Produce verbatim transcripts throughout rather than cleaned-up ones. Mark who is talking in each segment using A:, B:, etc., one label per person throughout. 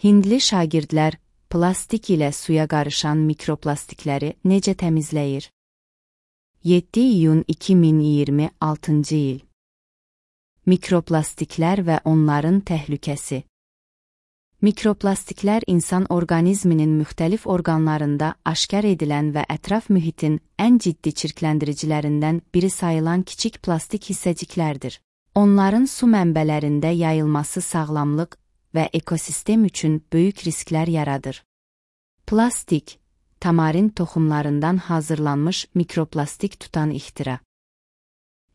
A: Hindli şagirdlər plastik ilə suya qarışan mikroplastikləri necə təmizləyir? yeddi iyun iki min iyirmi altıncı il. Mikroplastiklər və onların təhlükəsi. Mikroplastiklər insan orqanizminin müxtəlif orqanlarında aşkar edilən və ətraf mühitin ən ciddi çirkləndiricilərindən biri sayılan kiçik plastik hissəciklərdir. Onların su mənbələrində yayılması sağlamlıq və ekosistem üçün böyük risklər yaradır. Plastik, tamarin toxumlarından hazırlanmış mikroplastik tutan ixtira.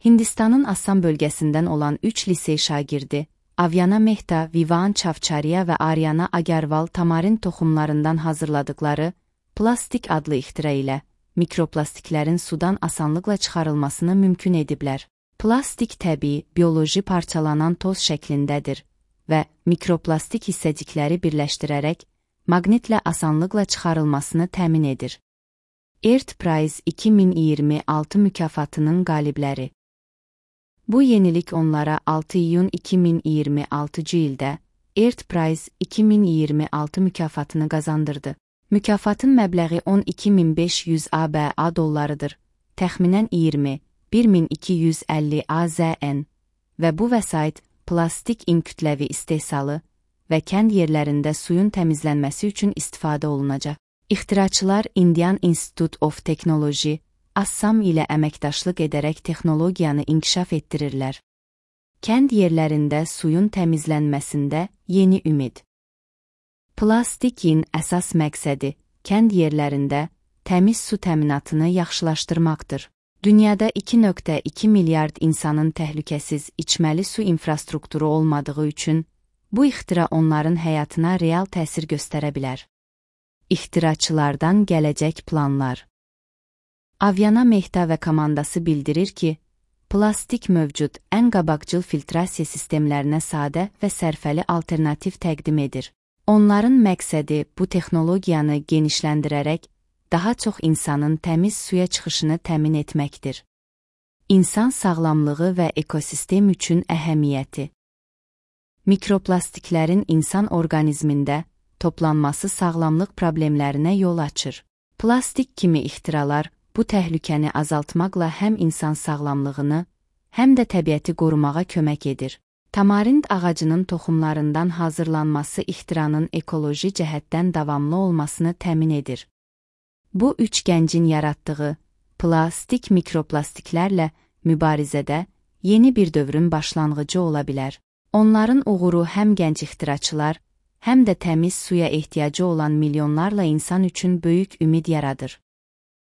A: Hindistanın Assam bölgəsindən olan üç lisey şagirdi, Avyana Mehta, Vivan Çavçariya və Aryana Agarval tamarin toxumlarından hazırladıkları plastik adlı ixtira ilə mikroplastiklərin sudan asanlıqla çıxarılmasını mümkün ediblər. Plastik təbii, bioloji parçalanan toz şəklindədir və mikroplastik hissəcikləri birləşdirərək maqnitlə asanlıqla çıxarılmasını təmin edir. Earthprize iki min iyirmi altı mükafatının qalibləri. Bu yenilik onlara altı iyun iki min iyirmi altıncı ildə Earthprize iki min iyirmi altı mükafatını qazandırdı. Mükafatın məbləği on iki min beş yüz ABA dollarıdır, təxminən iyirmi bir min iki yüz əlli AZN və bu vəsait plastik in kütləvi istehsalı və kənd yerlərində suyun təmizlənməsi üçün istifadə olunacaq. İxtiraçılar Indian Institute of Technology, Assam ilə əməkdaşlıq edərək texnologiyanı inkişaf etdirirlər. Kənd yerlərində suyun təmizlənməsində yeni ümid. Plastikin əsas məqsədi kənd yerlərində təmiz su təminatını yaxşılaşdırmaqdır. Dünyada iki nöqtə iki milyard insanın təhlükəsiz içməli su infrastrukturu olmadığı üçün bu ixtira onların həyatına real təsir göstərə bilər. İxtiraçılardan gələcək planlar. Avyana Mehta və komandası bildirir ki, plastik mövcud ən qabaqcıl filtrasiya sistemlərinə sadə və sərfəli alternativ təqdim edir. Onların məqsədi bu texnologiyanı genişləndirərək daha çox insanın təmiz suya çıxışını təmin etməkdir. İnsan sağlamlığı və ekosistem üçün əhəmiyyəti. Mikroplastiklərin insan orqanizmində toplanması sağlamlıq problemlərinə yol açır. Plastik kimi ixtiralar bu təhlükəni azaltmaqla həm insan sağlamlığını, həm də təbiəti qorumağa kömək edir. Tamarind ağacının toxumlarından hazırlanması ixtiranın ekoloji cəhətdən davamlı olmasını təmin edir. Bu üç gəncin yaratdığı plastik mikroplastiklərlə mübarizədə yeni bir dövrün başlanğıcı ola bilər. Onların uğuru həm gənc ixtiraçılar, həm də təmiz suya ehtiyacı olan milyonlarla insan üçün böyük ümid yaradır.